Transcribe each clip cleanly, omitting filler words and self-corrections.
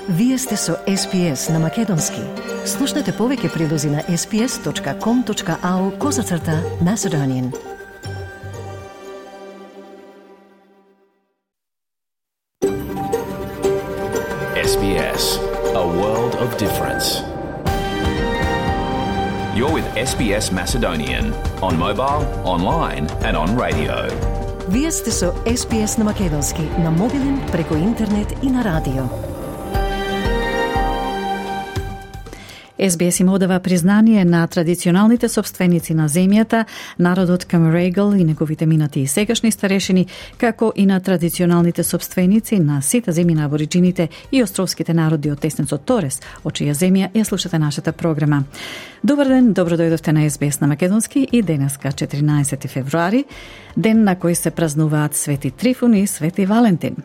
Вие сте со SPS на Македонски. Слушнете повеќе прилози на sps.com.au/Macedonian. SBS, a world of difference. You're with SBS Macedonian on mobile, online and on radio. Вие сте со SPS на Македонски на мобилен, преку интернет и на радио. SBS им одава признание на традиционалните собственици на земјата, народот Камерайгл и неговите минати и сегашни старешини, како и на традиционалните собственици на сите земји на абориджините и островските народи од теснецот Торес, од чија земја ја слушате нашата програма. Добар ден, добро дојдовте на SBS на Македонски и денеска 14 февруари, ден на кој се празнуваат Свети Трифун и Свети Валентин.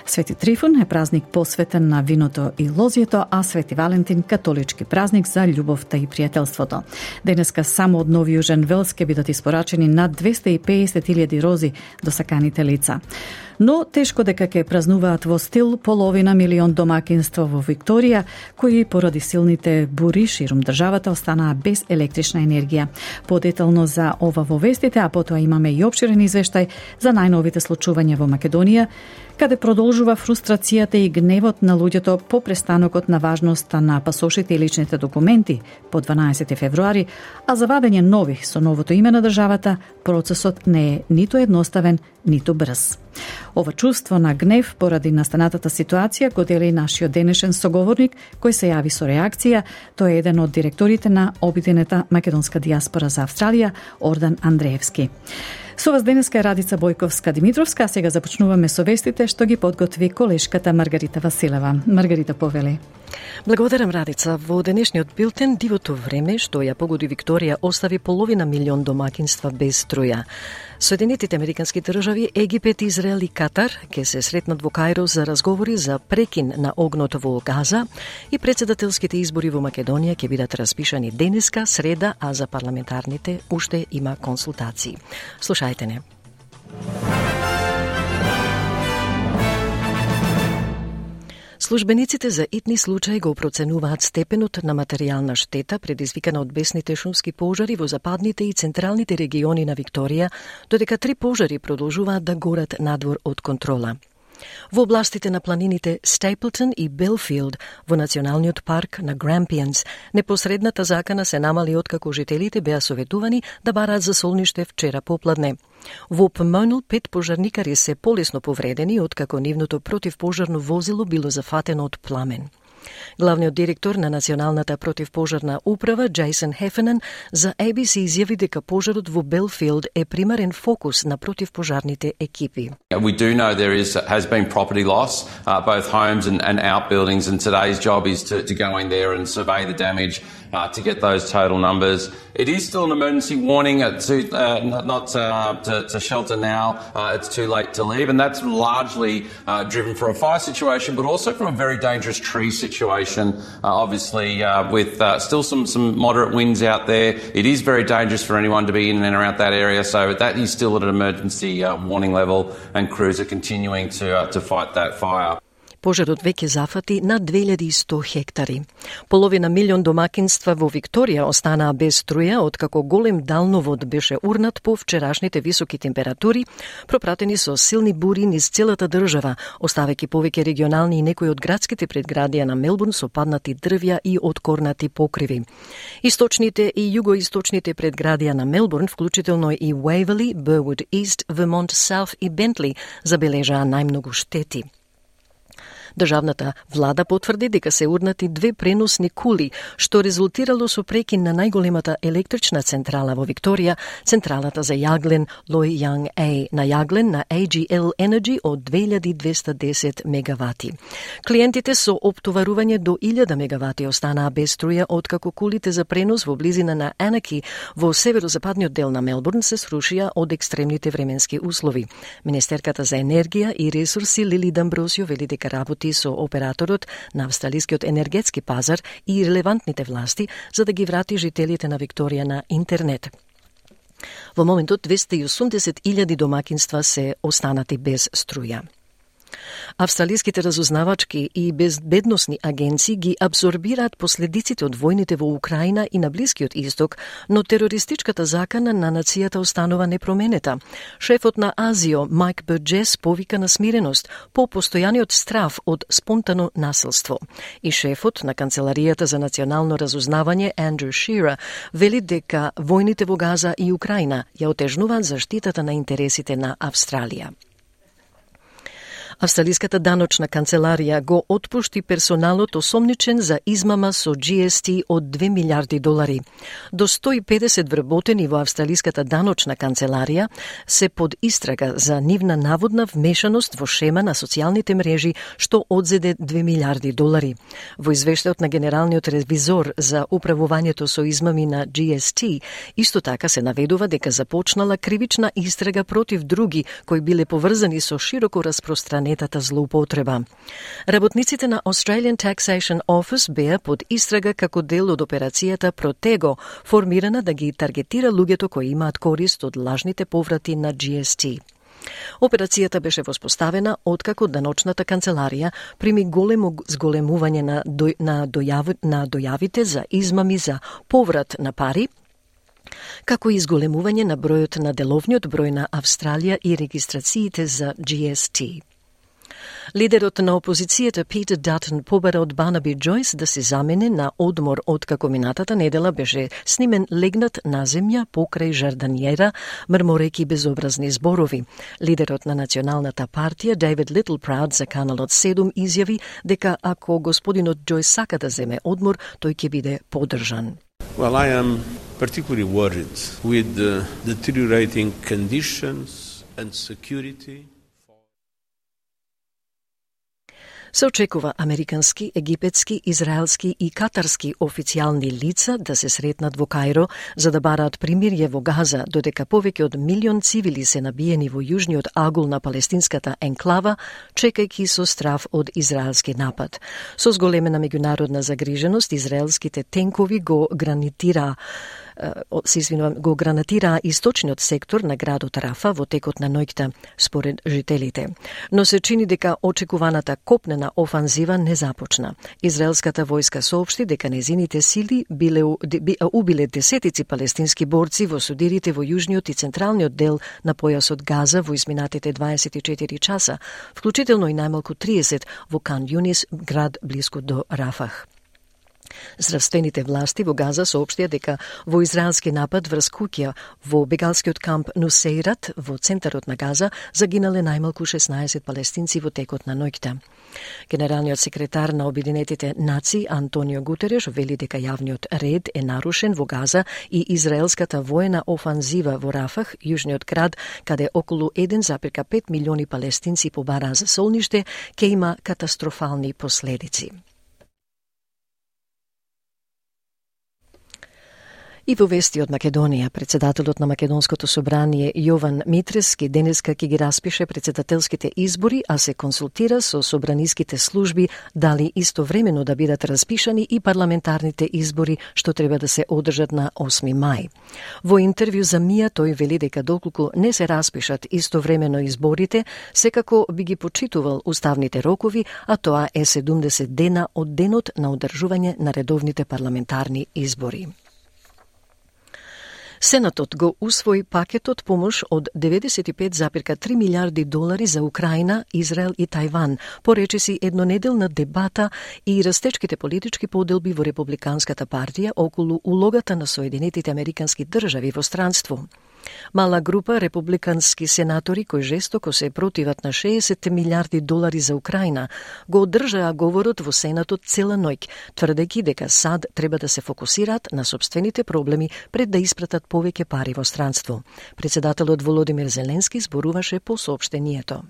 Свети Трифун е празник посветен на виното и лозјето, а Свети Валентин католички празник за љубовта и пријателството. Денеска само од Нови Јужен Велс ќе бидат испорачени над 250.000 рози до саканите лица. Но тешко дека ќе празнуваат во стил половина милион домакинства во Викторија, кои поради силните бури ширум државата останаа без електрична енергија. Подетално за ова во вестите, а потоа имаме и опширен извештај за најновите случувања во Македонија, каде продолжува фрустрацијата и гневот на луѓето по престанокот на важноста на пасошите и личните документи по 12 февруари, а за вадење нових со новото име на државата, процесот не е ниту едноставен, ниту брз. Ова чувство на гнев поради настанатата ситуација го дели нашиот денешен соговорник, кој се јави со реакција. Тој е еден од директорите на Обединета македонска дијаспора за Австралија, Ордан Андреевски. Со вас денеска е Радица Бојковска-Димитровска, а сега започнуваме со вестите што ги подготви колешката Маргарита Василева. Маргарита, повели. Благодарам, Радица. Во денешниот билтен дивото време што ја погоди Викторија остави половина милион домакинства без струја. Соединетите американски држави, Египет, Израел и Катар ќе се сретнат во Кајро за разговори за прекин на огнот во Газа и председателските избори во Македонија ќе бидат распишани денеска, среда, а за парламентарните уште има консултации. Слушајте не. Службениците за итни случаи го проценуваат степенот на материјална штета предизвикана од бесните шумски пожари во западните и централните региони на Викторија, додека 3 пожари продолжуваат да горат надвор од контрола. Во областите на планините Стейплтон и Белфилд во националниот парк на Грампијанс, непосредната закана се намали откако жителите беа советувани да бараат за солниште вчера попладне. Во Помонал 5 пожарникари се полесно повредени откако нивното противпожарно возило било зафатено од пламен. Главниот директор на Националната противпожарна управа, Джейсон Хефенен, за ABC изјави дека пожарот во Белфилд е примарен фокус на противпожарните екипи. We do know there has been property loss, both homes and outbuildings, and today's job is to go in there and survey the damage to get those total numbers. It is still an emergency warning to shelter now. It's too late to leave, and that's largely driven from a fire situation, but also from a very dangerous tree situation. Obviously, with still some moderate winds out there, it is very dangerous for anyone to be in and around that area. So that is still at an emergency warning level, and crews are continuing to fight that fire. Пожарот веќе зафати на 2100 хектари. Половина милион домакинства во Викторија останаа без струја, откако голем далновод беше урнат по вчерашните високи температури, пропратени со силни бури низ целата држава, оставајќи повеќе регионални и некои од градските предградија на Мелбурн со паднати дрвја и откорнати покриви. Источните и југоисточните предградија на Мелбурн, вклучително и Уейвели, Бервуд Ист, Вермонт Саут и Бентли, забележаа најмногу штети. Државната влада потврди дека се урнати 2 преносни кули, што резултирало со прекин на најголемата електрична централа во Викторија, централата за јаглен Loy Yang A на јаглен на AGL Energy од 2210 мегавати. Клиентите со оптоварување до 1000 мегавати останаа без струја откако кулите за пренос во близина на Анаки во северозападниот дел на Мелбурн се срушија од екстремните временски услови. Министерката за енергија и ресурси Лили Дамбросио вели дека работи со операторот на австралискиот енергетски пазар и релевантните власти за да ги врати жителите на Викторија на интернет. Во моментот 280.000 домакинства се останати без струја. Австралиските разузнавачки и безбедносни агенции ги абсорбираат последиците од војните во Украина и на Блискиот Исток, но терористичката закана на нацијата останува непроменета. Шефот на Азио, Майк Бурджес, повика на смиреност по постојаниот страф од спонтано насилство. И шефот на Канцеларијата за национално разузнавање, Андрю Шира, вели дека војните во Газа и Украина ја отежнуваат заштитата на интересите на Австралија. Австралиската даночна канцеларија го отпушти персоналот осомничен за измама со GST од 2 милиарди долари. До 150 вработени во Австралиската даночна канцеларија се под истрага за нивна наводна вмешаност во шема на социјалните мрежи што одзеде 2 милиарди долари. Во извештајот на генералниот ревизор за управувањето со измами на GST, исто така се наведува дека започнала кривична истрага против други кои биле поврзани со широко распространетата злоупотреба. Работниците на Australian Taxation Office беа под истрага како дел од операцијата Protego, формирана да ги таргетира луѓето кои имаат корист од лажните поврати на GST. Операцијата беше воспоставена откако даночната канцеларија прими големо зголемување на дојавите за измами за поврат на пари, како и изголемување на бројот на деловниот број на Австралија и регистрациите за GST. Лидерот на опозицијата Питер Датон побара од Барнаби Джойс да се замени на одмор откако минатата недела беше снимен легнат на земја покрај жарданиера, мрмореки безобразни зборови. Лидерот на Националната партија Дейвид Литлпрауд за Каналот 7 изјави дека ако господинот Джойс сака да земе одмор, тој ќе биде поддржан. Well, I am particularly worried with the deteriorating conditions and security. Се очекува американски, египетски, израелски и катарски официјални лица да се сретнат во Кајро за да бараат примирје во Газа, додека повеќе од 1 милион цивили се набиени во јужниот агул на палестинската енклава, чекајќи со страф од израелски напад. Со зголемена меѓународна загриженост, израелските тенкови го гранатираа источниот сектор на градот Рафа во текот на ноќта, според жителите. Но се чини дека очекуваната копнена офанзива не започна. Израелската војска соопшти дека незините сили убиле десетици палестински борци во судирите во јужниот и централниот дел на појасот Газа во изминатите 24 часа, вклучително и најмалку 30 во Кан Јунис, град блиску до Рафах. Здравствените власти во Газа соопштија дека во израелски напад врз куќа во бегалскиот камп Нусейрат во центарот на Газа загинале најмалку 16 палестинци во текот на ноќта. Генералниот секретар на Обединетите нации Антонио Гутереш вели дека јавниот ред е нарушен во Газа и израелската воена офанзива во Рафах, јужниот град, каде околу 1,5 милиони палестинци побараа за солниште, ќе има катастрофални последици. И во вести од Македонија, председателот на Македонското собрание Јован Митрески денеска ќе ги распише председателските избори, а се консултира со собраниските служби дали истовремено да бидат распишани и парламентарните избори што треба да се одржат на 8 мај. Во интервју за МИА тој вели дека доколку не се распишат истовремено изборите, секако би ги почитувал уставните рокови, а тоа е 70 дена од денот на одржување на редовните парламентарни избори. Сенатот го усвои пакетот помош од 95,3 милиарди долари за Украина, Израел и Тајван, поречиси еднонеделна дебата и растечките политички поделби во Републиканската партија околу улогата на Соединетите Американски држави во странство. Мала група републикански сенатори кои жестоко се противат на 60 милиарди долари за Украина го одржаа говорот во Сенатот цела ноќ, тврдејќи дека САД треба да се фокусираат на собствените проблеми пред да испратат повеќе пари во странство. Председателот Володимир Зеленски зборуваше по соопштението.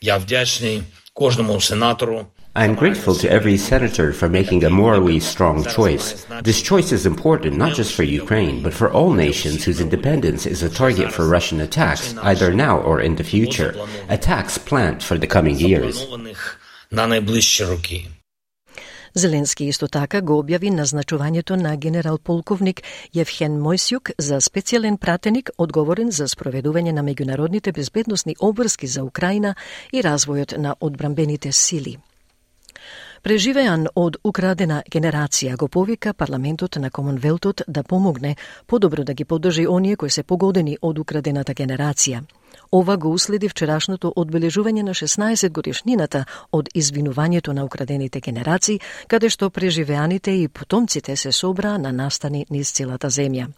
Ја вдячни кожному сенатору. I am grateful to every senator for making a morally strong choice. This choice is important not just for Ukraine, but for all nations whose independence is a target for Russian attacks, either now or in the future. Attacks planned for the coming years. Зеленски исто така го објави назначувањето на генерал-полковник Евхен Мојсјук за специјален пратеник одговорен за спроведување на меѓународните безбедносни обврски за Украина и развојот на одбранбените сили. Преживеан од украдена генерација го повика парламентот на Комонвелтот да помогне подобро да ги поддржи оние кои се погодени од украдената генерација. Ова го уследи вчерашното одбележување на 16 годишнината од извинувањето на украдените генерации, каде што преживеаните и потомците се собраа на настани низ целата земја.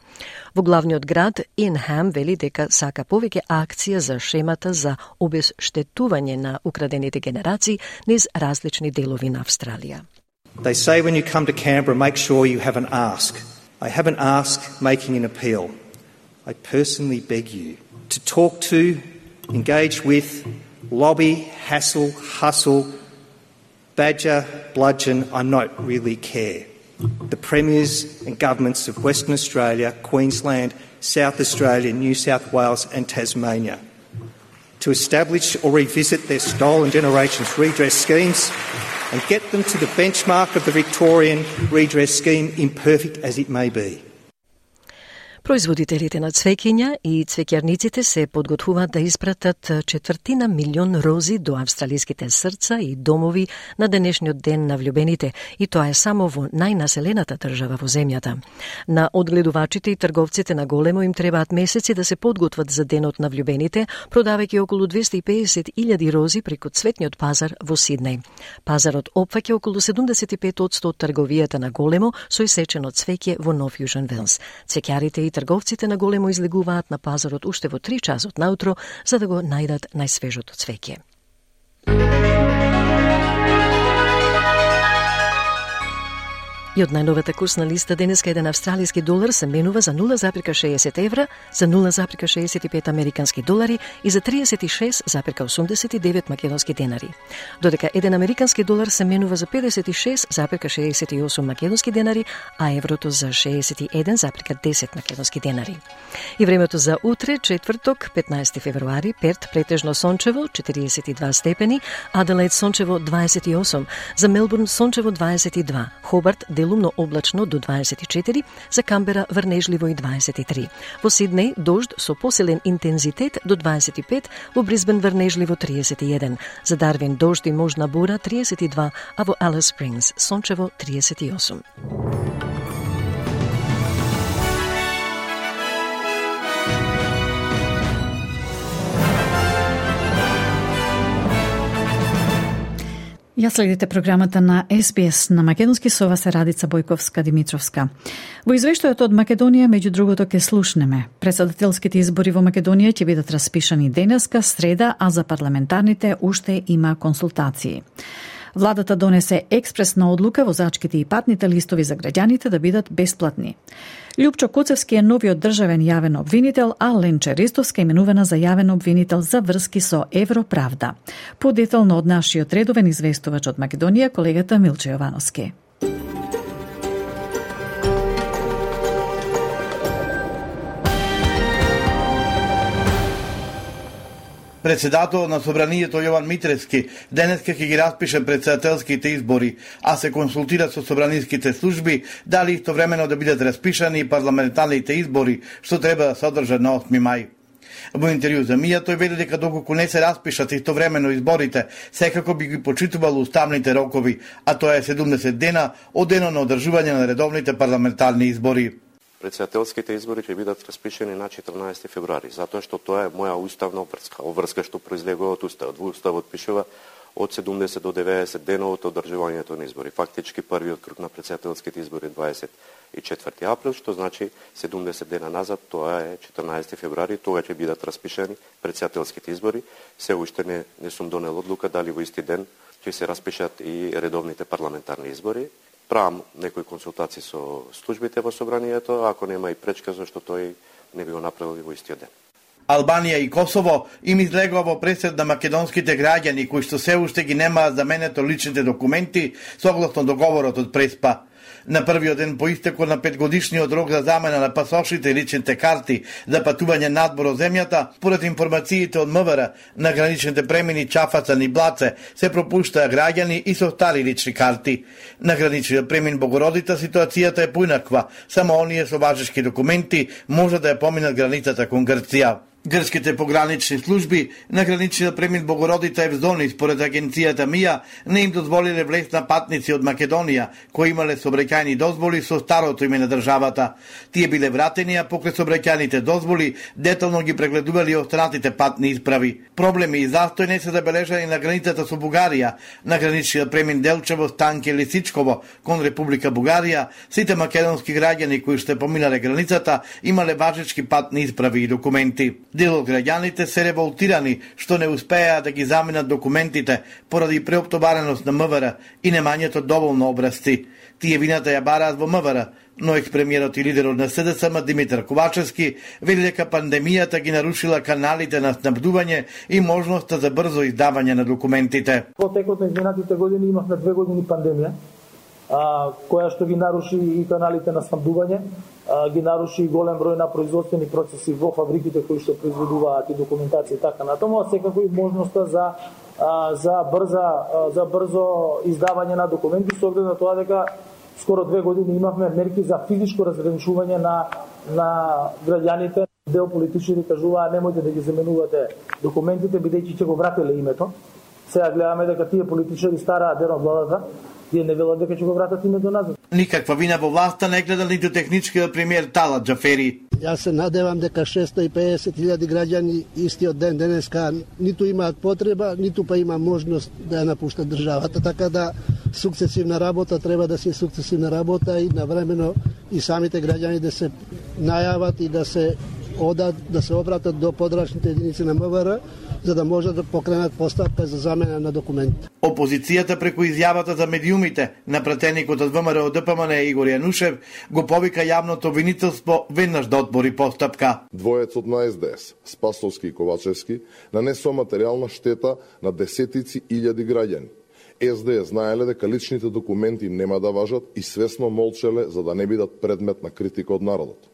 Во главниот град Инхам вели дека сака повеќе акција за шемата за обезштетување на украдените генерации низ различни делови на Австралија. They say when you come to Canberra, make sure you have an ask. I have an ask making an appeal. I personally beg you to talk to, engage with, lobby, hassle, hustle, badger, bludgeon, I not really care. The premiers and governments of Western Australia, Queensland, South Australia, New South Wales and Tasmania to establish or revisit their stolen generations redress schemes and get them to the benchmark of the Victorian redress scheme, imperfect as it may be. Производителите на цвеќиња и цвеќарниците се подготвуваат да испратат 250.000 рози до австралиските срца и домови на денешниот ден на влюбените, и тоа е само во најнаселената држава во земјата. На одгледувачите и трговците на големо им требаат месеци да се подготват за денот на влюбените, продавајќи околу 250.000 рози преку цветниот пазар во Сиднеј. Пазарот опфаќа околу 75% од трговијата на големо со исечено цвеќе во Нов Јужен Велс. Цвеќарите и трговците на големо излегуваат на пазарот уште во 3 часот наутро за да го најдат најсвежото цвеќе. И од најновата курсна листа денеска еден австралиски долар се менува за 0,60 евра, за 0,65 американски долари и за 36,89 македонски денари. Додека еден американски долар се менува за 56,68 македонски денари, а еврото за 61,10 македонски денари. И времето за утре, четврток, 15 февруари, Перт претежно сончево, 42 степени, Аделаид сончево 28, за Мелбурн сончево 22, Хобарт делумно облачно до 24, за Камбера врнежливо и 23. Во Сиднеј дожд со посилен интензитет до 25, во Брисбен врнежливо 31, за Дарвин дожд и можна бура 32, а во Алис Спрингс сончево 38. Ја следите програмата на SBS на македонски, со вас е Радица Бојковска-Димитровска. Во извештајот од Македонија, меѓу другото, ке слушнеме. Председателските избори во Македонија ќе бидат распишани денеска, среда, а за парламентарните уште има консултации. Владата донесе експресна одлука возачките и патните листови за граѓаните да бидат бесплатни. Љупчо Куцевски е новиот државен јавен обвинител, а Ленче Ристовска именувана за јавен обвинител за врски со Европравда. Подетално од нашиот редовен известувач од Македонија, колегата Милче Јовановски. Председател на Собранието Јован Митревски денеска ќе ги распише председателските избори, а се консултира со собраниските служби дали истовремено да бидат распишани парламентарните избори, што треба да се одржат на 8 мај. Во интервју за Мија тој вели дека доколку не се распишат истовремено изборите, секако би ги почитувал уставните рокови, а тоа е 70 дена од денот на одржување на редовните парламентарни избори. Председателските избори ќе бидат распишени на 14 февруари, затоа што тоа е моја уставна обврска што произлегува од Уставот. Во Уставот пишува од 70 до 90 дена од одржувањето на избори. Фактички првиот круг на председателските избори 24 април, што значи 70 дена назад, тоа е 14 февруари, тога ќе бидат распишени председателските избори. Се уште не сум донел одлука дали во исти ден ќе се распишат и редовните парламентарни избори. Правам некои консултации со службите во Собранието, ако нема и пречка, зашто тој не би го направил во истиот ден. Албанија и Косово им излегува во пресед на македонските граѓани кои што се уште ги немаат заменето личните документи согласно договорот од Преспа. На првиот ден по истекот на 5-годишниот рок за замена на пасошите и личните карти за патување надвор од земјата, според информациите од МВР, на граничните премини Чафацан и Блаце се пропуштаа граѓани и со стари лични карти. На граничниот премин Богородица ситуацијата е поинаква, само оние со важечки документи може да ја поминат границата кон Грција. Грчките погранични служби на граничниот премин Богородица Евзони, според агенцијата МИА, не им дозволиле влез на патници од Македонија, кои имале собраќајни дозволи со старото име на државата. Тие биле вратени, а покрај собраќајните дозволи детално ги прегледували останатите патни исправи. Проблеми и застој не се забележани на границата со Бугарија. На граничниот премин Делчево, Станке, Лисичково кон Република Бугарија, сите македонски граѓани кои што поминале границата имале важечки патни исправи и документи. Дел од граѓаните се револтирани што не успеа да ги заменат документите поради преоптовареност на МВР и немањето доволно образци. Тие вината ја бараат во МВР, но екс-премиерот и лидерот на СДСМ Димитар Ковачевски вели дека пандемијата ги нарушила каналите на снабдување и можноста за брзо издавање на документите. Во текот на изминатите години имавме 2 години пандемија, која што ги наруши и каналите на снабдување, ги наруши и голем број на производствени процеси во фабриките кои што произведуваат и документација и така натаму, а секако и можноста за брзо издавање на документи, со оглед на тоа дека скоро 2 години имавме мерки за физичко разграничување на граѓаните. Дел политичари кажуваа немојте да ги заменувате документите бидејќи ќе го врателе името. Сега гледаме дека тие политичари стараат ден од владата, тие не велат дека ќе го вратат името назад. Никаква вина во власта не гледа ниту техничкиот премиер Талат Џафери. Јас се надевам дека 650.000 граѓани истиот ден денеска ниту имаат потреба, ниту па има можност да ја напуштат државата, така да сукцесивна работа треба да се сукцесивна работа и навремено и самите граѓани да се најават и да се обратат до подрачните единици на МВР, за да можат да покренат постапка за замена на документи. Опозицијата преку изјавата за медиумите на пратеникот од ВМРО ДПМН Игор Јанушев го повика јавното обвинителство веднаш да отвори постапка. Двојецот на СДС, Спасовски и Ковачевски, нанесоа материјална штета на десетици илјади граѓани. СДС знаеле дека личните документи нема да важат и свесно молчеле за да не бидат предмет на критика од народот.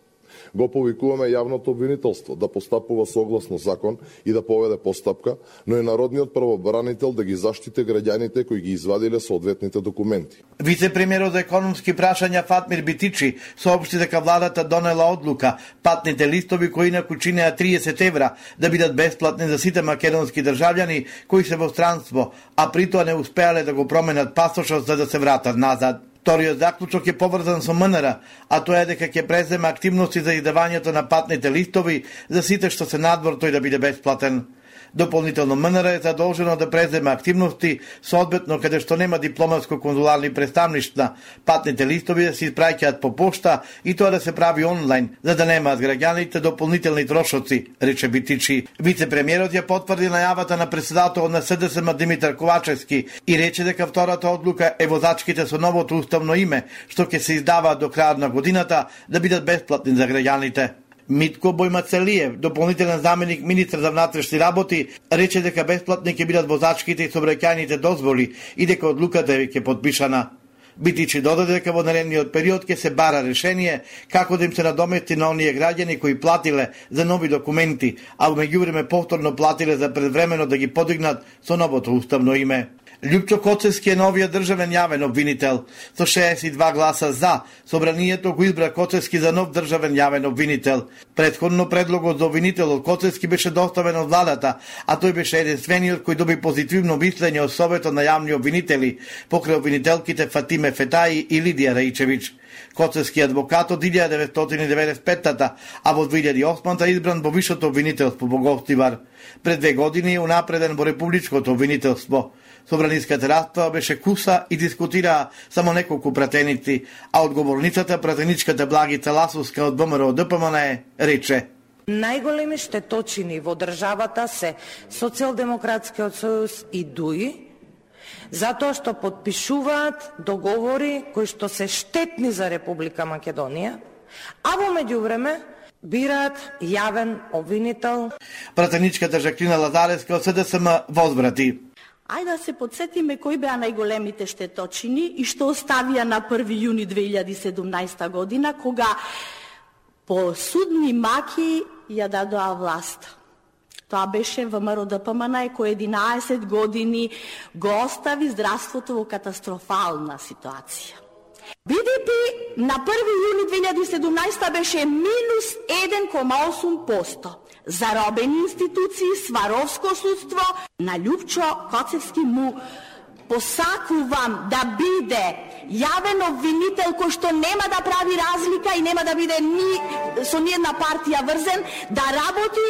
Го повикуваме јавното обвинителство да постапува согласно закон и да поведе постапка, но и народниот правобранител да ги заштите граѓаните кои ги извадиле соодветните документи. Вице-премиерот за економски прашања Фатмир Битичи соопшти дека владата донела одлука патните листови кои инаку чинеа 30 евра да бидат бесплатни за сите македонски државјани кои се во странство, а притоа не успеале да го променат пасошот за да се вратат назад. Вториот заклучок е поврзан со МНР, а тоа е дека ќе преземе активности за издавањето на патните листови за сите што се надвор тој да биде бесплатен. Дополнително МНР е задолжено да преземе активности соодветно каде што нема дипломатско-конзуларни представништва, патните листови да се испраќаат по пошта и тоа да се прави онлайн, за да немаат граѓаните дополнителни трошоци, рече Битичи. Вице-премиерот ја потврди најавата на председателот на СДСМ Димитар Ковачевски и рече дека втората одлука е возачките со новото уставно име, што ќе се издаваат до крајот на годината, да бидат бесплатни за граѓаните. Митко Бојмацелиев, дополнителен заменик министар за внатрешни работи, рече дека бесплатни ќе бидат возачките и сообраќајните дозволи и дека одлуката е веќе подпишана. Битичи додаде дека во наредниот период ќе се бара решение како да им се надомести на оние граѓани кои платиле за нови документи, а во меѓувреме повторно платиле за предвремено да ги подигнат со новото уставно име. Љупчо Коцевски е новиот државен јавен обвинител. Со 62 гласа за, собранието го избра Коцевски за нов државен јавен обвинител. Претходно предлогот за обвинителот Коцевски беше доставен од владата, а тој беше единствениот кој доби позитивно мислење од Советот на јавни обвинители, покрај обвинителките Фатиме Фетаи и Лидија Раичевиќ. Коцевски адвокат од 1995-та, а во 2008-та избран во Вишото обвинителство во Говтивар. Пред 2 години унапреден во Републичкото обвинителство. Собраниската расправа беше куса и дискутираа само неколку пратеници, а одговорницата пратеничката Благица Ласовска од ВМРО ДПМН рече: најголеми штеточини во државата се Социјалдемократскиот сојуз и ДУИ, затоа што потпишуваат договори кои што се штетни за Република Македонија, а во меѓувреме бираат јавен обвинител. Пратеничката Жаклина Лазаревска од СДСМ возбрати: Ајде да се подсетиме кои беа најголемите штеточини и што оставија на 1. јуни 2017 година, кога по судни маки ја дадоа власт. Тоа беше ВМРО ДПМН кој 11 години го остави здравството во катастрофална ситуација. БДП на 1. јуни 2017 беше минус 1,8%. Заробени институции, сваровско судство, на Љупчо Коцевски му посакувам да биде јавен обвинител кој што нема да прави разлика и нема да биде со ниједна партија врзен, да работи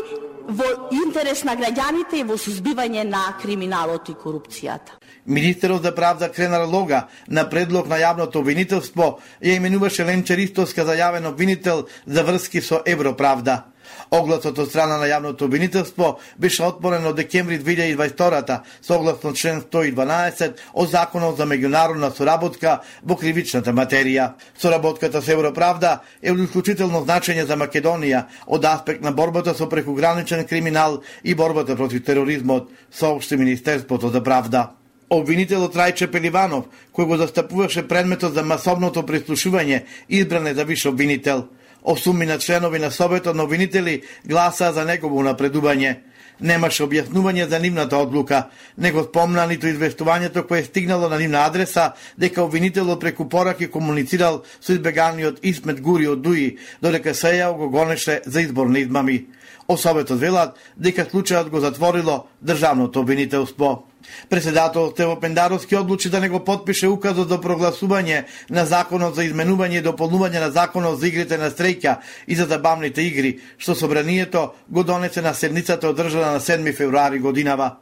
во интерес на граѓаните и во сузбивање на криминалот и корупцијата. Министерот за правда Кренар Лога на предлог на јавното обвинителство ја именуваше Ленче Ристовска за јавен обвинител за врски со Европравда. Огласот од страна на јавното обвинителство беше отворен од декември 2022 согласно член 112 од Законот за меѓународна соработка во кривичната материја. Соработката со Европравда е од исклучително значење за Македонија од аспект на борбата со прекуграничен криминал и борбата против тероризмот, соопшти Министерството за правда. Обвинителот Рајче Пеливанов, кој го застапуваше предметот за масовното прислушување, избран е за виш обвинител. 8 членови на Советот на обвинители гласаа за негово напредување. Немаше објаснување за нивната одлука, не го спомна ниту известувањето кое стигнало на нивна адреса дека обвинителот преку пораки комуницирал со избеганиот Исмет Гури од Дуи, додека Сејао го гонеше за изборни измами. О Советот велат дека случајот го затворило државното обвинителство. Председателот Стево Пендаровски одлучи да не го подпише указот за прогласување на Законот за изменување и дополнување на Законот за игрите на стреќа и за забавните игри, што собранието го донесе на седницата одржана на 7 февруари годинава.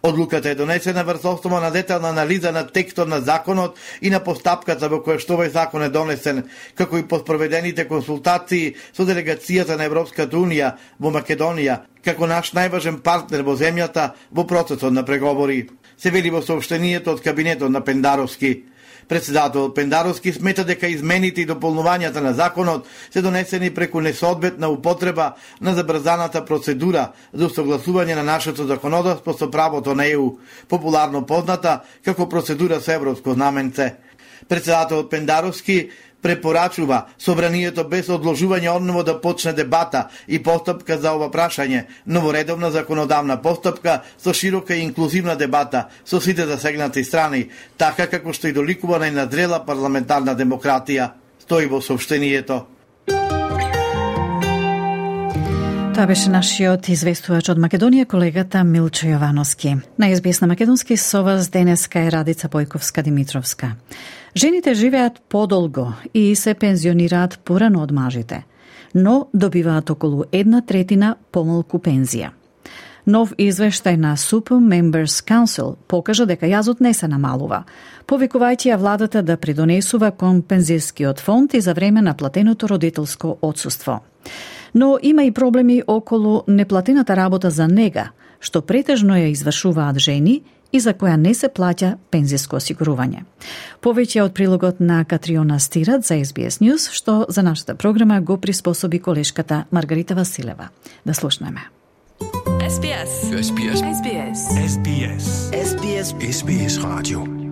Одлуката е донесена врз основа на детална анализа на текстот на законот и на постапката во која што овој закон е донесен, како и по спроведените консултации со делегацијата на Европската унија во Македонија, како наш најважен партнер во земјата во процесот на преговори. Се вели во соопштението од кабинетот на Пендаровски. Председателот Пендаровски смета дека измените и дополнувањата на законот се донесени преку несоодветна употреба на забрзаната процедура за усогласување на нашето законодавство со правото на ЕУ, популарно позната како процедура со европско знаменце. Председателот Пендаровски препорачува собранието без одложување одново да почне дебата и постапка за ова прашање, новоредовна законодавна постапка со широка и инклузивна дебата со сите засегнати страни, така како што и доликува најназрела парламентарна демократија, стои во соопштението. Тоа беше нашиот известувач од Македонија, колегата Милчо Јовановски. На СБС на македонски со вас денеска е Радица Појковска-Димитровска. Жените живеат подолго и се пензионираат порано од мажите, но добиваат околу 1/3 помалку пензија. Нов извештај на Super Members Council покажа дека јазот не се намалува, повикувајќи ја владата да придонесува кон пензискиот фонд и за време на платеното родителско отсуство. Но има и проблеми околу неплатената работа за нега, што претежно ја извршуваат жени и за која не се плаќа пензиско осигурување. Повеќе од прилогот на Катриона Стират за SBS News, што за нашата програма го приспособи колешката Маргарита Василева. Да слушнеме. SBS. SBS. SBS. SBS. SBS. SBS Radio.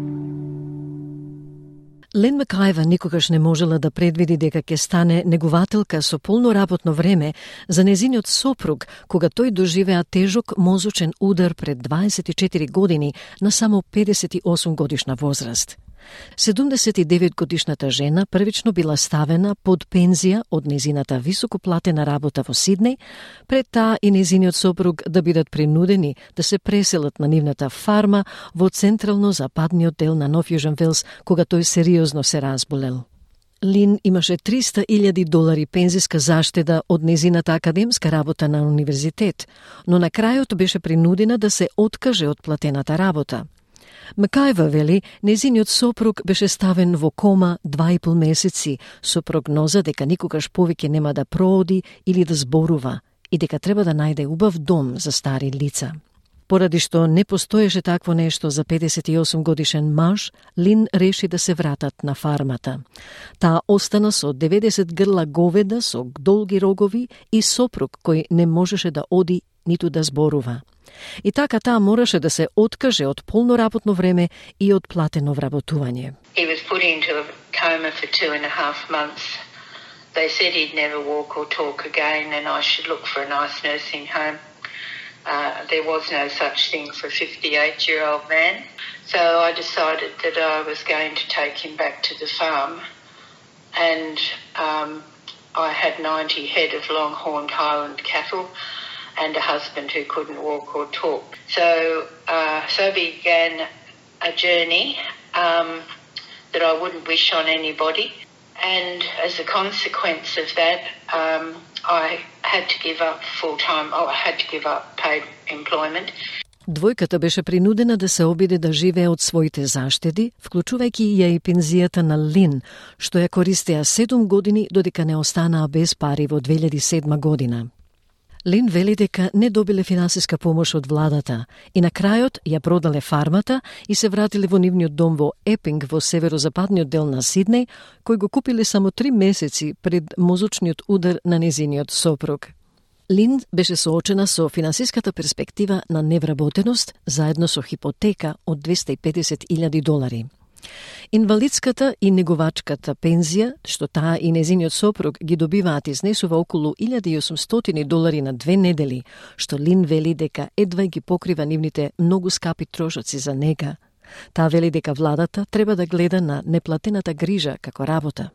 Лен Макаева никогаш не можела да предвиди дека ќе стане негувателка со полно работно време за незиниот сопруг, кога тој доживеа тежок мозочен удар пред 24 години на само 58 годишна возраст. 79-годишната жена првично била ставена под пензија од незината високоплатена работа во Сиднеј, пред таа и незиниот сопруг да бидат принудени да се преселат на нивната фарма во централно-западниот дел на Нов Јужен Велс, кога тој сериозно се разболел. Лин имаше $300,000 пензиска заштеда од незината академска работа на универзитет, но на крајот беше принудена да се откаже од платената работа. Макаева вели, незиниот сопруг беше ставен во кома 2,5 месеци со прогноза дека никогаш повеќе нема да прооди или да зборува и дека треба да најде убав дом за стари лица. Поради што не постоеше такво нешто за 58 годишен маж, Лин реши да се вратат на фармата. Таа остана со 90 грла говеда со долги рогови и сопруг кој не можеше да оди ниту да зборува. И така таа мораше да се откаже од полно работно време и од платено вработување. He was put into a coma for 2.5 months. They said he'd never walk or talk again and I should look for a nice nursing home. There was no such thing for a 58-year-old man. So I decided that I was going to take him back to the farm. And I had 90 head of longhorned Highland cattle and a husband who couldn't walk or talk. So began a journey that I wouldn't wish on anybody. And as a consequence of that, I had to give up full-time, I had to give up paid employment. Двојката беше принудена да се обиде да живее од своите заштеди, вклучувајќи ја и пензијата на Лин, што ја користеа 7 години додека не останаа без пари во 2007 година. Лин вели дека не добиле финансиска помош од владата и на крајот ја продале фармата и се вратиле во нивниот дом во Епинг во северозападниот дел на Сиднеј, кој го купиле само 3 месеци пред мозочниот удар на незиниот сопруг. Лин беше соочена со финансиската перспектива на невработеност заедно со хипотека од $250,000. Инвалидската и неговачката пензија, што таа и незиниот сопруг ги добиваат, изнесува околу $1,800 на 2 недели, што Лин вели дека едва ги покрива нивните многу скапи трошоци за нега. Таа вели дека владата треба да гледа на неплатената грижа како работа.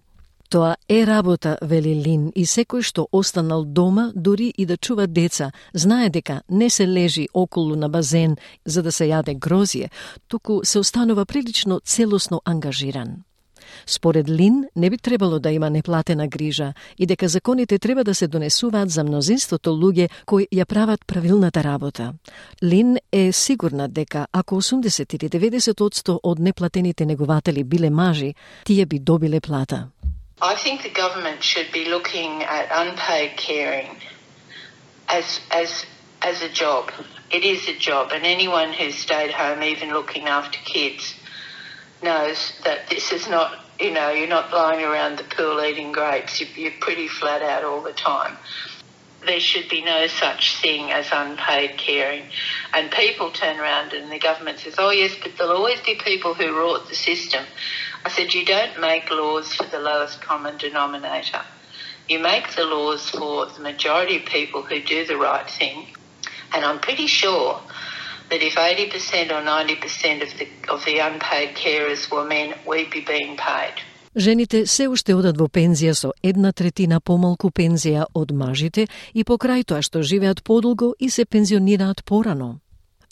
Тоа е работа, вели Лин, и секој што останал дома, дури и да чува деца, знае дека не се лежи околу на базен за да се јаде грозје, туку се останува прилично целосно ангажиран. Според Лин, не би требало да има неплатена грижа и дека законите треба да се донесуваат за мнозинството луѓе кои ја прават правилната работа. Лин е сигурна дека ако 80 или 90% од неплатените негователи биле мажи, тие би добиле плата. I think the government should be looking at unpaid caring as a job. It is a job, and anyone who's stayed home, even looking after kids, knows that this is not, you're not lying around the pool eating grapes. You're pretty flat out all the time. There should be no such thing as unpaid caring. And people turn around and the government says, oh yes, but there'll always be people who rort the system. I said, you don't make laws for the lowest common denominator. You make the laws for the majority of people who do the right thing. And I'm pretty sure that if 80% or 90% of the unpaid carers were men, we'd be being paid. Жените се уште одат во пензија со 1/3 помалку пензија од мажите и покрај тоа што живеат подолго и се пензионираат порано.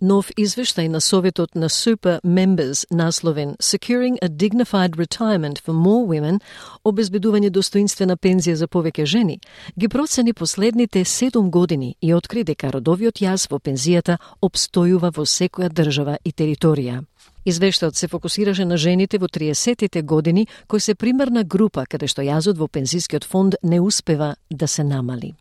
Нов извештај на Советот на Super Members насловен Securing a Dignified Retirement for More Women, обезбедување достоинствена пензија за повеќе жени, ги процени последните 7 години и откри дека родовиот јаз во пензијата обстојува во секоја држава и територија. Извештајот се фокусираше на жените во 30-тите години, кои се примерна група каде што јазот во пензискиот фонд не успева да се намали.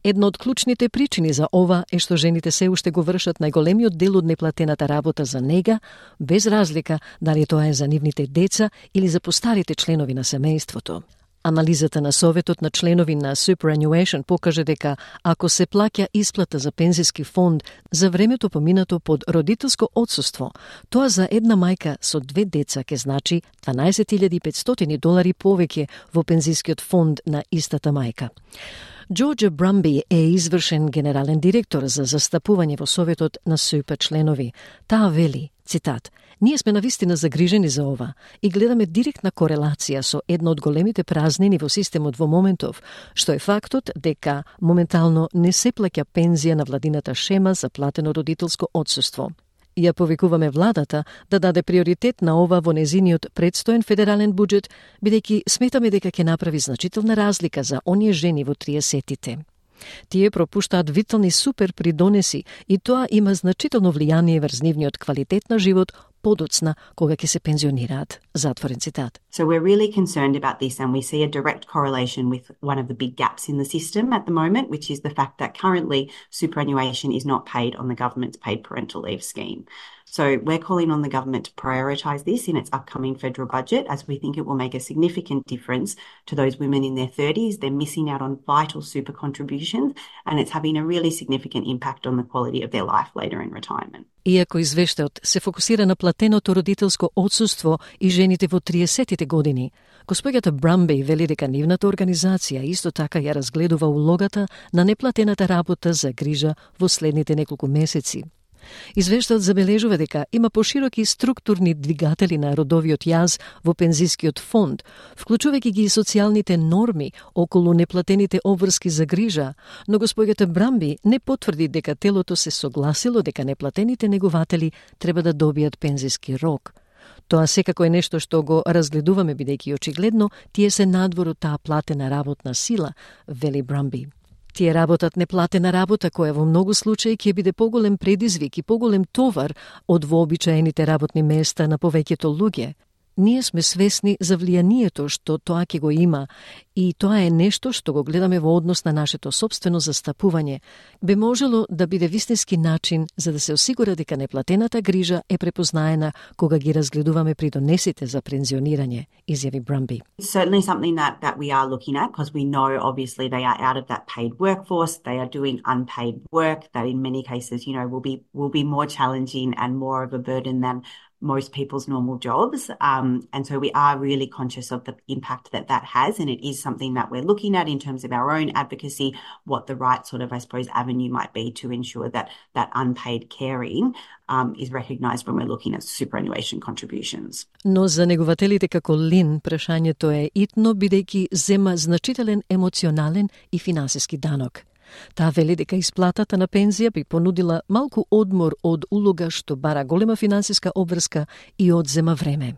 Една од клучните причини за ова е што жените се уште го вршат најголемиот дел од неплатената работа за нега, без разлика дали тоа е за нивните деца или за постарите членови на семејството. Анализата на Советот на членови на Superannuation покаже дека ако се плаќа исплата за пензиски фонд за времето поминато под родителско отсуство, тоа за една мајка со 2 деца ке значи $12,500 повеќе во пензискиот фонд на истата мајка. Джорджа Брамби е извршен генерален директор за застапување во Советот на СУП членови. Таа вели, цитат, ние сме навистина загрижени за ова и гледаме директна корелација со една од големите празнини во системот во моментов, што е фактот дека моментално не се плаќа пензија на владината шема за платено родителско отсуство. Ја повикуваме владата да даде приоритет на ова во незиниот предстоен федерален буџет, бидејќи сметаме дека ќе направи значителна разлика за оние жени во 30-тите. Тие пропуштаат витални супер придонеси и тоа има значително влијание врз нивниот квалитет на живот подоцна кога ќе се пензионираат. Затворен цитат. So we're really concerned about this and we see a direct correlation with one of the big gaps in the system at the moment, which is the fact that currently superannuation is not paid on the government's paid parental leave scheme. So we're calling on the government to prioritise this in its upcoming federal budget, as we think it will make a significant difference to those women in their 30s. They're missing out on vital super contributions and it's having a really significant impact on the quality of their life later in retirement. Иако извештајот се фокусира на платеното родителско отсуство и жените во 30-тите години, госпоѓата Брамби вели дека нивната организација исто така ја разгледува улогата на неплатената работа за грижа во следните неколку месеци. Извештајот забележува дека има пошироки структурни двигатели на родовиот јаз во пензискиот фонд, вклучувајќи ги и социјалните норми околу неплатените обврски за грижа, но госпоѓата Брамби не потврди дека телото се согласило дека неплатените негователи треба да добијат пензиски рок. Тоа секако е нешто што го разгледуваме бидејќи очигледно тие се надвор од таа платена работна сила, вели Брамби. Тие работат неплатена работа која во многу случаи ќе биде поголем предизвик и поголем товар од вообичаените работни места на повеќето луѓе. Ние сме свесни за влијанието што тоа ќе го има и тоа е нешто што го гледаме во однос на нашето сопствено застапување. Би можело да биде вистински начин за да се осигура дека неплатената грижа е препознаена кога ги разгледуваме придонесите за пензионирање, изјави Брамби. It's certainly something that we are looking at because we know obviously they are out of that paid workforce, they are doing unpaid work that in many cases, will be more challenging and more of a burden than most people's normal jobs. And so we are really conscious of the impact that has, and it is something that we're looking at in terms of our own advocacy, what the right sort of, I suppose, avenue might be to ensure that unpaid caring is recognised when we're looking at superannuation contributions. Но за негователите како Лин, прашањето е итно бидејќи зема значителен емоционален и финансиски данок. Таа вели дека исплатата на пензија би понудила малку одмор од улога што бара голема финансиска обврска и одзема време.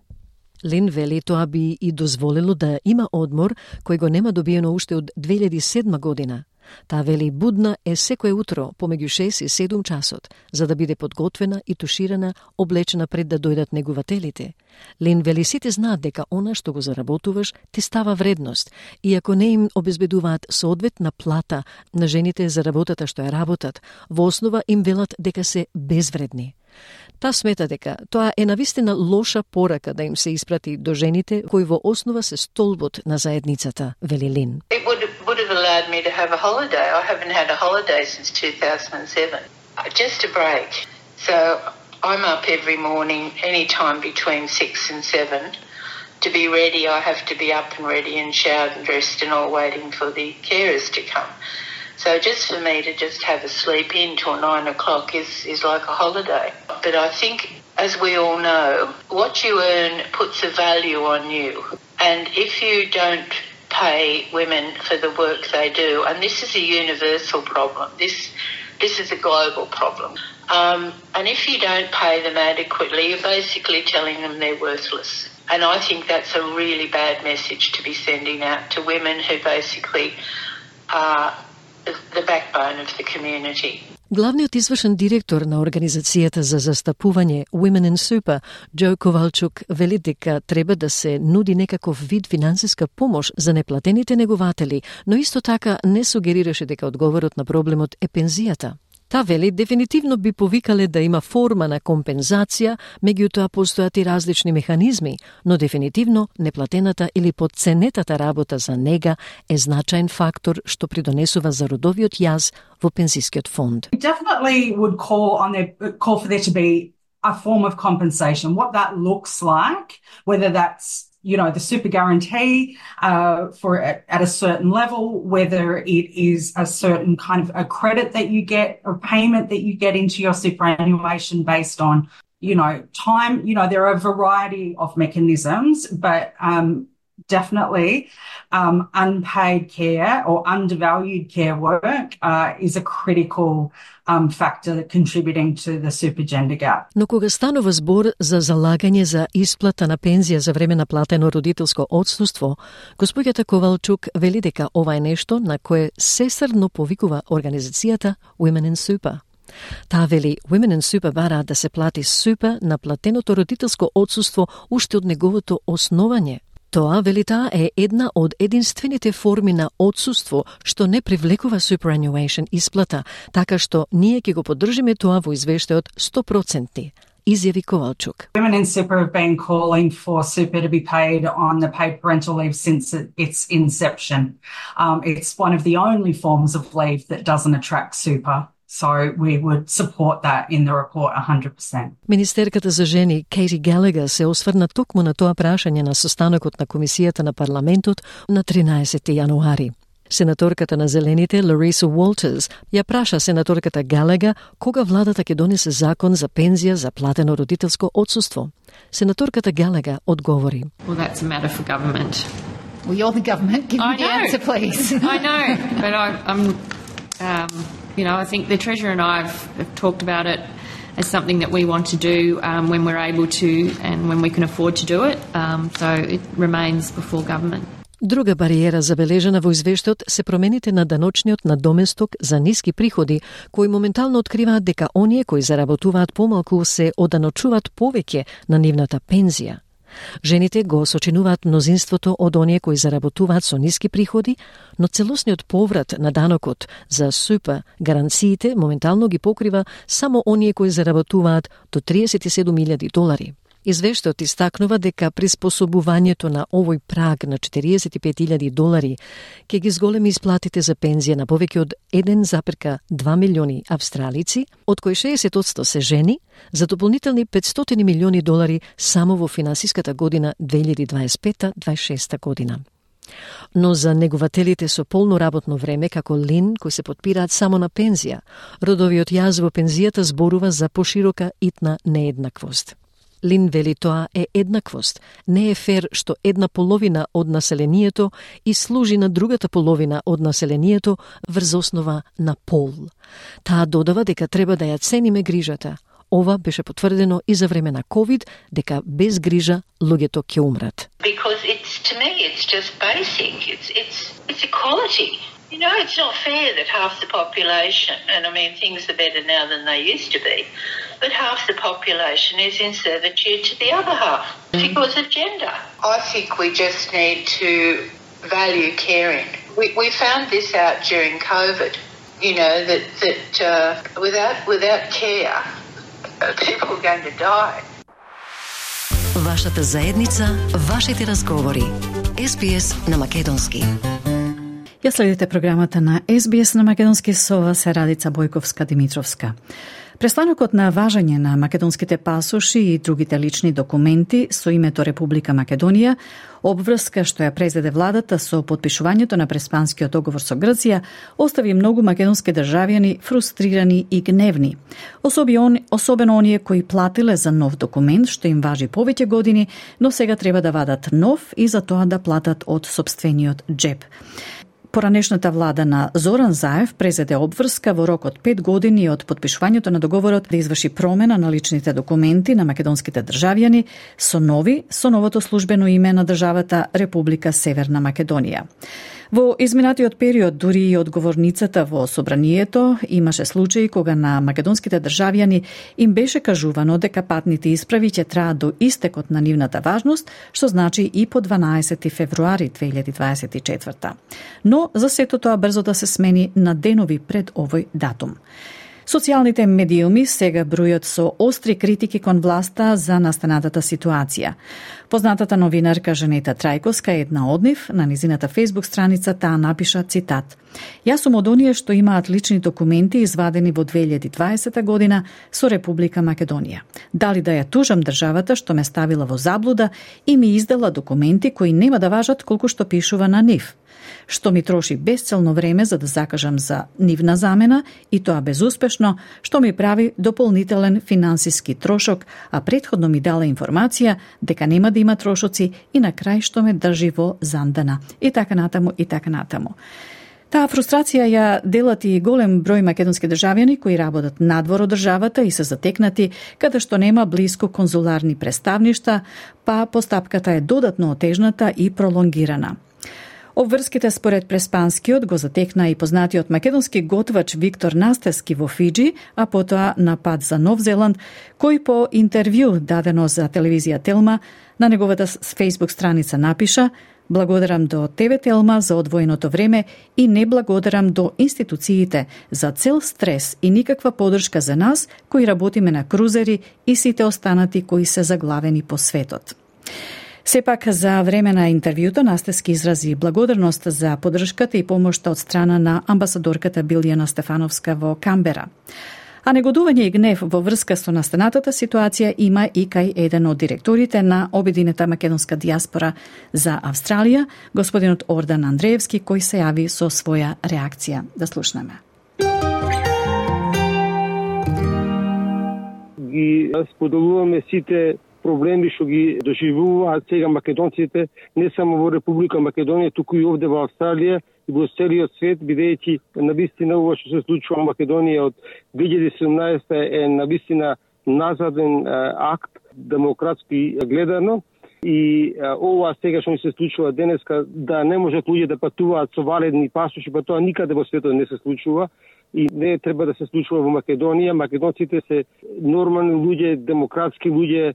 Лин вели тоа би и дозволило да има одмор кој го нема добиено уште од 2007 година. Таа вели будна е секое утро помеѓу 6 и 7 часот, за да биде подготвена и туширана, облечена пред да дојдат негователите. Лин вели сите знаат дека она што го заработуваш ти става вредност, и ако не им обезбедуваат соодветна плата на жените за работата што ја работат, во основа им велат дека се безвредни. Та смета дека тоа е навистина лоша порака да им се испрати до жените кои во основа се столбот на заедницата, вели Лин. Would have allowed me to have a holiday. I haven't had a holiday since 2007. Just a break. So I'm up every morning, any time between 6 and 7. To be ready, I have to be up and ready and showered and dressed and all waiting for the carers to come. So just for me to just have a sleep in till 9 o'clock is like a holiday. But I think, as we all know, what you earn puts a value on you. And if you don't pay women for the work they do, and this is a universal problem. This is a global problem. And if you don't pay them adequately, you're basically telling them they're worthless. And I think that's a really bad message to be sending out to women who basically are the backbone of the community. Главниот извршен директор на Организацијата за застапување Women in Super, Џо Ковалчук, вели дека треба да се нуди некаков вид финансиска помош за неплатените негователи, но исто така не сугерираше дека одговорот на проблемот е пензијата. Та вели дефинитивно би повикале да има форма на компензација, меѓутоа постојат и различни механизми, но дефинитивно неплатената или подценетата работа за нега е значаен фактор што придонесува за родовиот јаз во пензискиот фонд. We definitely would call for there to be a form of compensation. What that looks like, whether that's the super guarantee at a certain level, whether it is a certain kind of a credit that you get or payment that you get into your superannuation based on, time. There are a variety of mechanisms, but definitely unpaid care or undervalued care work is a critical factor contributing to the super gender gap. Но кога станува збор за залагање за исплата на пензија за време на платено родителско отсуство, госпоѓата Ковалчук вели дека ова е нешто на кое сесрно повикува организацијата Women in Super. Таа вели Women in Super бараат да се плати супа на платеното родителско отсуство уште од неговото основање. Тоа, вели таа, е една од единствените форми на отсуство што не привлекува superannuation исплата, така што ние ќе го поддржиме тоа во извештајот 100%. Изјави Ковалчук. Women in Super have been calling for super to be paid on the paid parental leave since its inception. It's one of the only forms of leave that doesn't attract super. So we would support that in the report 100%. Министерката за жени Кейти Галегер се осврна токму на тоа прашање на состанокот на Комисијата на парламентот на 13 јануари. Сенаторката на Зелените Лариса Уолтерс ја праша сенаторката Галега кога владата ќе донесе закон за пензија за платено родителско отсуство. Сенаторката Галега одговори. Well, that's a matter for government. Well, you're the government. Give me the answer, please. I know, but I'm I think the Treasurer and I have talked about it as something that we want to do when we're able to and when we can afford to do it. So it remains before government. Друга бариера забележана во извештајот се промените на даночниот надоместок за ниски приходи, кои моментално откриваат дека оние кои заработуваат помалку се оданочуваат повеќе на нивната пензија. Жените го сочинуваат мнозинството од оние кои заработуваат со ниски приходи, но целосниот поврат на данокот за супа гаранциите моментално ги покрива само оние кои заработуваат до $37,000. Извештајот истакнува дека приспособувањето на овој праг на $45,000 ќе ги зголеми исплатите за пензија на повеќе од 1,2 милиони австралици, од кои 60% се жени, за дополнителни $500 милиони само во финансиската година 2025-26 година. Но за негувателите со полно работно време, како Лин, кои се потпираат само на пензија, родовиот јаз во пензијата зборува за поширока итна нееднаквост. Лин вели тоа е еднаквост. Не е фер што една половина од населението и служи на другата половина од населението врз основа на пол. Таа додава дека треба да ја цениме грижата. Ова беше потврдено и за време на COVID, дека без грижа луѓето ќе умрат. Because to me it's just basic. It's equality. You know, it's not fair that half the population, and I mean things are better now than they used to be, but half the population is in servitude to the other half because of gender. I think we just need to value caring. We found this out during COVID, you know, that without care, people are going to die. Вашата заедница, вашите разговори. SBS на македонски. Ја следите програмата на SBS на македонски со вас е Радица Бојковска-Димитровска. Престанокот на важење на македонските пасоши и другите лични документи со името Република Македонија, обврска што ја презеде владата со потпишувањето на преспанскиот договор со Грција, остави многу македонски државјани фрустрирани и гневни. Особено оние кои платиле за нов документ што им важи повеќе години, но сега треба да вадат нов и за тоа да платат од сопствениот джеб. Поранешната влада на Зоран Заев презеде обврска во рок од 5 години од потпишувањето на договорот да изврши промена на личните документи на македонските државјани со новото службено име на државата Република Северна Македонија. Во изминатиот период, дури и одговорницата во собранието, имаше случаи кога на македонските државјани им беше кажувано дека патните исправи ќе траат до истекот на нивната важност, што значи и по 12 февруари 2024. Но за сето тоа брзо да се смени на денови пред овој датум. Социјалните медиуми сега бројат со остри критики кон власта за настанатата ситуација. Познатата новинарка Жанета Трајковска е една од нив. На низината Facebook страница таа напиша цитат: "Јас сум од оние што имаат лични документи извадени во 2020 година со Република Македонија. Дали да ја тужам државата што ме ставила во заблуда и ми издала документи кои нема да важат колку што пишува на нив, што ми троши безцелно време за да закажам за нивна замена и тоа безуспешно, што ми прави дополнителен финансиски трошок, а претходно ми дала информација дека нема да има трошоци и на крај што ме држи во зандана." И така натаму, и така натаму. Таа фрустрација ја делат и голем број македонски државјани кои работат надвор од државата и се затекнати каде што нема блиско конзуларни представништа, па постапката е додатно отежната и пролонгирана. Обврските според Преспанскиот го затекна и познатиот македонски готвач Виктор Настевски во Фиджи, а потоа на пат за Нов Зеланд, кој по интервју дадено за телевизија Телма на неговата Facebook страница напиша: "Благодарам до ТВ Телма за одвоеното време и не благодарам до институциите за цел стрес и никаква подршка за нас кои работиме на крузери и сите останати кои се заглавени по светот." Сепак, за време на интервјуто Настевски изрази благодарност за поддршката и помошта од страна на амбасадорката Билјана Стефановска во Камбера. А негодување и гнев во врска со настанатата ситуација има и кај еден од директорите на Обединета македонска дијаспора за Австралија, господинот Ордан Андреевски, кој се јави со своја реакција. Да слушнеме. Ги споделуваме сите проблеми што ги доживуваат сега македонците, не само во Република Македонија, туку и овде во Австралија и во целиот свет, бидејќи навистина ова што се случува во Македонија од 2017 е навистина назаден акт, демократски гледано. И ова сега што ни се случува денеска, да не можат луѓе да патуваат со валидни пасоши, па тоа никаде во светот не се случува и не треба да се случува во Македонија. Македонците се нормални луѓе, демократски луѓе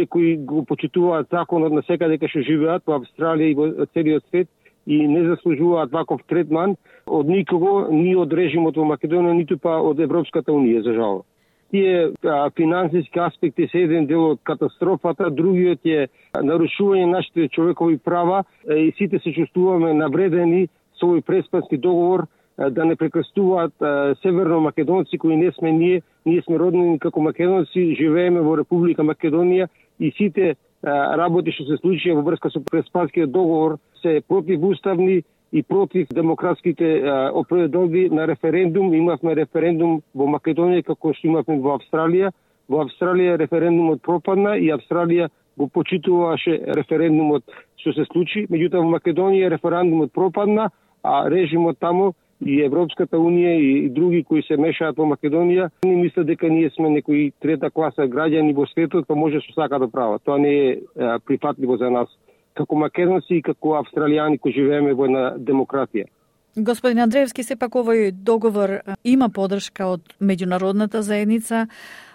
кои го почитуваат законот на секаде кај што живеат во Австралија и во целиот свет и не заслужуваат ваков третман од никого, ни од режимот во Македонија, ниту па од Европската унија, за жал. Тие финансиски аспекти се еден дел од катастрофата, другиот е нарушување на нашите човекови права и сите се чувствуваме навредени со овој преспански договор да не прекрстуваат северно македонци кои не сме ние сме родени како македонци, живееме во Република Македонија и сите работи што се случија во врска со Преспанскиот договор се противуставни и против демократските определи на референдум. Имавме референдум во Македонија како што имавме во Австралија. Во Австралија референдумот пропадна и Австралија го почитуваше референдумот што се случи. Меѓутоа во Македонија референдумот пропадна, а режимот тамо и Европската унија и други кои се мешаат во Македонија не мислат дека ние сме некои трета класа граѓани во светот, па може што сака да прават. Тоа не е прифатливо за нас како македонци и како австралијани кои живееме во една демократија. Господин Андреевски, сепак овој договор има поддршка од меѓународната заедница,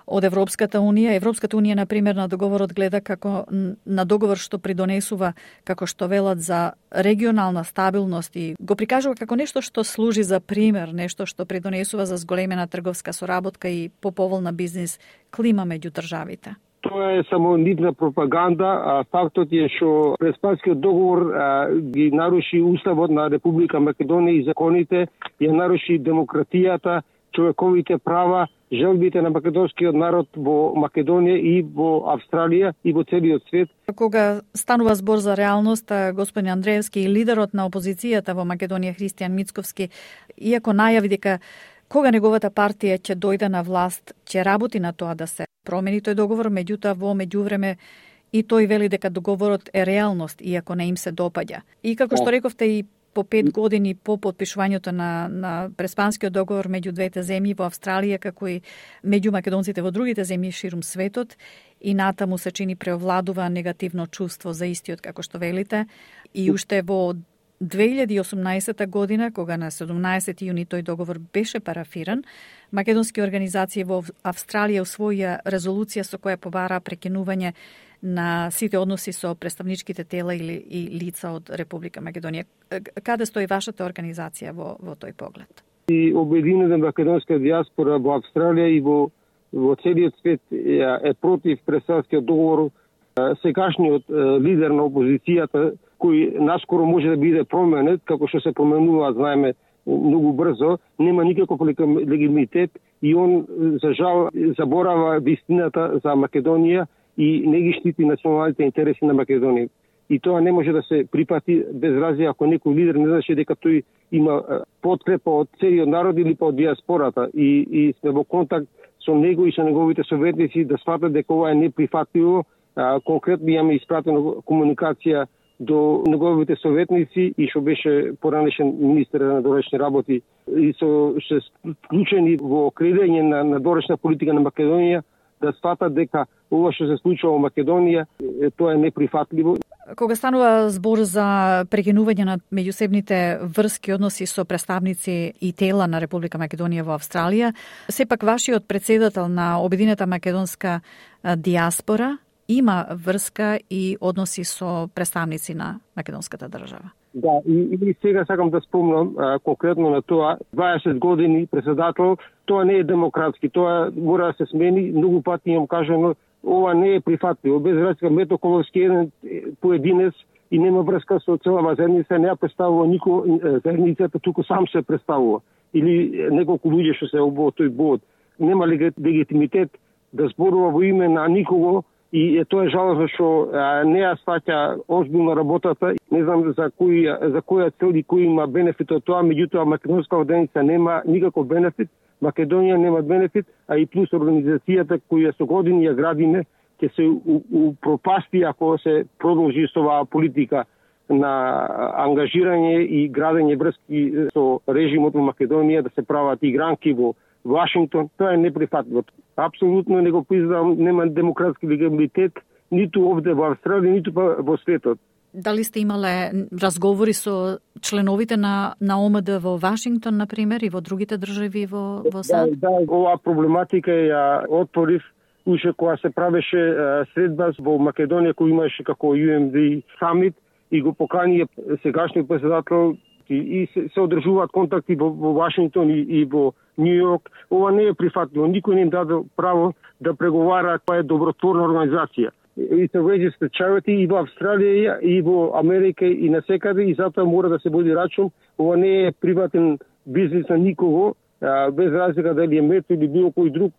од Европската унија. Европската унија, например, на договорот гледа како на договор што придонесува, како што велат, за регионална стабилност и го прикажува како нешто што служи за пример, нешто што придонесува за зголемена трговска соработка и поповолна бизнис клима меѓу државите. Тоа е само нитна пропаганда, а фактот е што Преспанскиот договор ги наруши уставот на Република Македонија и законите, ја наруши демократијата, човековите права, желбите на македонскиот народ во Македонија и во Австралија и во целиот свет. Кога станува збор за реалност, господин Андреевски и лидерот на опозицијата во Македонија Христијан Мицковски, иако најави дека кога неговата партија ќе дојде на власт, ќе работи на тоа да се промени тој договор, меѓутоа во меѓувреме и тој вели дека договорот е реалност, иако не им се допаѓа. И како што рековте, и по 5 години по подпишувањето на Преспанскиот договор меѓу двете земји во Австралија, како и меѓу македонците во другите земји ширум светот, и натаму се чини преовладува негативно чувство за истиот, како што велите. И уште во 2018 година, кога на 17 јуни тој договор беше парафиран, македонски организации во Австралија усвоија резолуција со која побара прекинување на сите односи со представничките тела и лица од Република Македонија. Каде стои вашата организација во тој поглед? И Обединета македонска дијаспора во Австралија и во целиот свет е против Преспанскиот договор. Сегашниот лидер на опозицијата, кој наскоро може да биде променет, како што се променува, знаеме, многу брзо, нема никаков легитимитет и он, за жал, заборава вистината за Македонија и не ги штити националните интереси на Македонија. И тоа не може да се припати без разлика ако некој лидер не знаше дека тој има подкрепа од целиот народ или па од диаспората и сме во контакт со него и со неговите советници да сватат дека ова е неприфатливо. Конкретно имаме испратено комуникација до неговите советници и што беше поранешен министер на надворешни работи и што вклучени во креирање на надворешна политика на Македонија да сватат дека ова што се случува во Македонија тоа е неприфатливо. Кога станува збор за прекинување на меѓусебните врски односи со представници и тела на Република Македонија во Австралија, сепак вашиот председател на Обединета македонска диаспора има врска и односи со представници на македонската држава. Да, и сега сакам да спомнам конкретно на тоа, 20 години председател, тоа не е демократски, тоа мора да се смени, многу пати имам кажано, ова не е прифатливо, без разлика Метоколовски еден поединец и нема врска со целава заедница, не ја представува никој заедницата, туку сам се представува. Или неколку луѓе што се во тој бод. Нема легитимитет да зборува во име на никого и тоа е жалосно што не ја сваќа озбилно работата. Не знам за која цел и кој има бенефит од тоа, меѓутоа македонска оденица нема никаков бенефит, Македонија нема бенефит, а и плюс организацијата која со години ја градиме ќе се упропасти ако се продолжи со оваа политика на ангажирање и градење врски со режимот во Македонија, да се прават игранки во Вашингтон. Тоа е неприфатливо. Апсолутно не го признавам, нема демократски легитимитет ниту овде во Австралија, ниту во светот. Дали сте имале разговори со членовите на ОМД во Вашингтон, например, и во другите држави во САД? Да, оваа проблематика ја отворив уште кога се правеше средба во Македонија, кој имаше како UMD самит и го покани сегашниот председател и се одржуваат контакти во Вашингтон и во Нью Йорк. Ова не е прифатливо. Никој не им даде право да преговара, тоа е добротворна организација. И се registered charity и во Австралија, и во Америка, и насекаде, и затоа мора да се води рачун. Ова не е приватен бизнис на никого, без разлика дали е мет или било кој друг,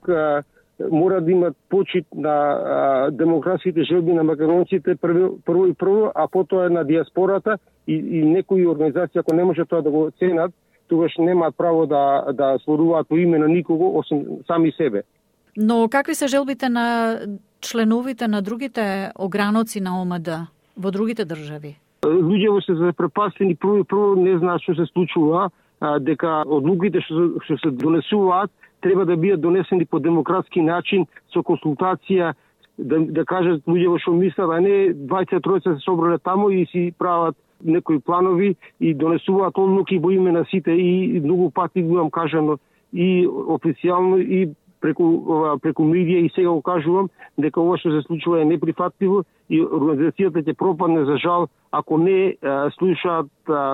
мора да имат почит на демократските желби на македонците прво, а потоа на диаспората и некои организации, ако не може тоа да го ценат, тогаш немаат право да зборуваат во име на никого, освен сами себе. Но какви се желбите на членовите на другите ограноци на ОМД во другите држави? Луѓето се запрепастени, прво не знаат што се случува, дека одлуките што се донесуваат треба да бидат донесени по демократски начин, со консултација, да кажат луѓето што мислат, а не 23 се собрале тамо и си прават некои планови и донесуваат одлуки во име на сите, и многу пати го имам кажано и официјално и преку медија, и сега го кажувам дека ова што се случува е неприфатливо и организацијата ќе пропадне за жал ако не слушаат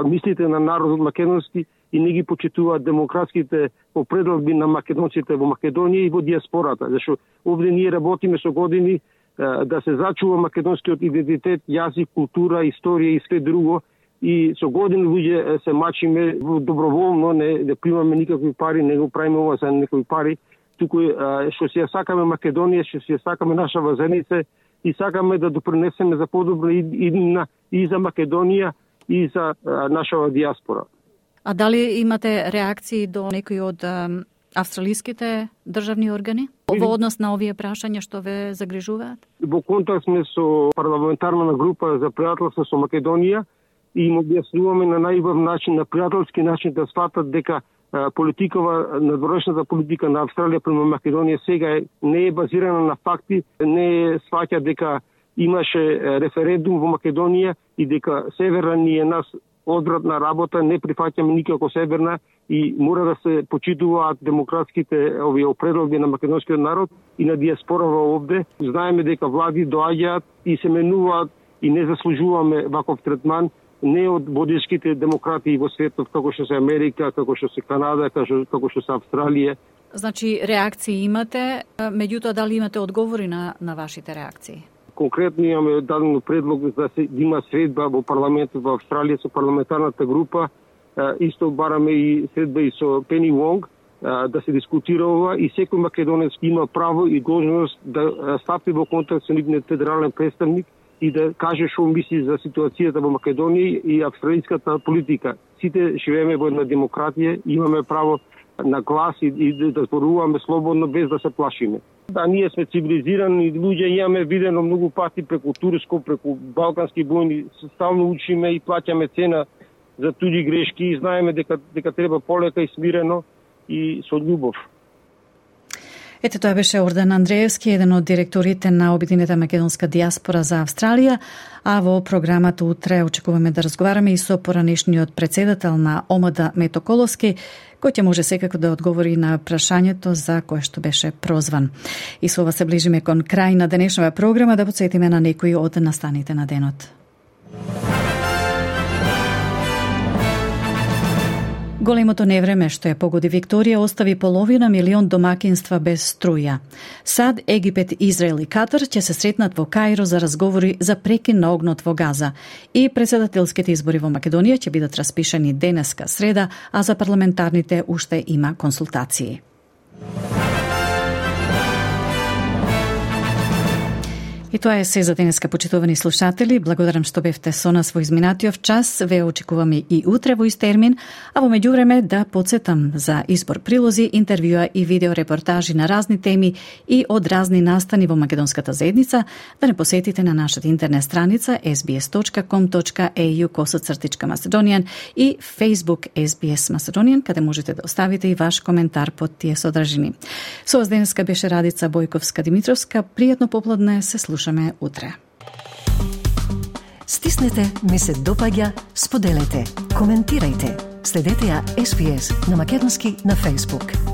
мислите на народот македонски и не ги почитуваат демократските определби на македонците во Македонија и во диаспората, зашто овде ние работиме со години да се зачува македонскиот идентитет, јазик, култура, историја и све друго, и со години луѓе се мачиме доброволно, не примаме никакви пари, не го правиме ова за некои пари, туку што си ја сакаме Македонија, што си ја сакаме нашава заедница и сакаме да допринесеме за подобра иднина и за Македонија и за нашава диаспора. А дали имате реакции до некои од австралиските државни органи во однос на овие прашања што ве загрижуваат? Во контакт сме со парламентарна група за пријателство со Македонија и им објаснуваме на најубав начин, на пријателски начин, да сватат дека надворешната политика на Австралија према Македонија сега не е базирана на факти, не сваќа дека имаше референдум во Македонија и дека Северна ни е нас одвратна работа, не прифаќаме никако Северна и мора да се почитуваат демократските овие определби на македонскиот народ и на диаспорава овде. Знаеме дека влади доаѓаат и се менуваат и не заслужуваме ваков третман, не од водечките демократи во светот, како што се Америка, како што се Канада, како што се Австралија. Значи, реакции имате, меѓутоа дали имате одговори на вашите реакции? Конкретно имаме дадено предлог да се има средба во парламентот во Австралија со парламентарната група. Исто бараме и средба и со Пени Вонг да се дискутира ова и секој македонец има право и должност да стапи во контакт со нивниот федерален представник и да каже што мисли за ситуацијата во Македонија и австралиската политика. Сите живееме во една демократија, имаме право на глас и да зборуваме слободно без да се плашиме. Да, ние сме цивилизирани луѓе, имаме видено многу пати преку Турско, преку балкански војни, стално учиме и плаќаме цена за туѓи грешки и знаеме дека треба полека и смирено и со љубов. Ете, тоа беше Ордан Андреевски, еден од директорите на Обединета македонска диаспора за Австралија, а во програмата утре очекуваме да разговараме и со поранешниот председател на ОМД Мето Коловски, кој ќе може секако да одговори на прашањето за кое што беше прозван. И со ова се ближиме кон крај на денешната програма, да потсетиме на некои од настаните на денот. Големото невреме што ја погоди Викторија остави половина милион домакинства без струја. САД, Египет, Израел и Катар ќе се сретнат во Каиро за разговори за прекин на огнот во Газа. И председателските избори во Македонија ќе бидат распишани денеска среда, а за парламентарните уште има консултации. И тоа е се за денеска, почитувани слушатели. Благодарам што бевте со нас во изминатиот час. Ве очекуваме и утре во ист термин, а во меѓувреме да потсетам за избор прилози, интервјуа и видео репортажи на разни теми и од разни настани во македонската заедница, да не посетите на нашата интернет страница sbs.com.au/Macedonian и Facebook SBS Macedonian, каде можете да оставите и ваш коментар под тие содржини. Со вас денеска беше Радица Бојковска-Димитровска. Пријатно попладне, се слушаме утре. Стиснете, ми се допаѓа, споделете, коментирајте. Следете ја SBS на македонски на Facebook.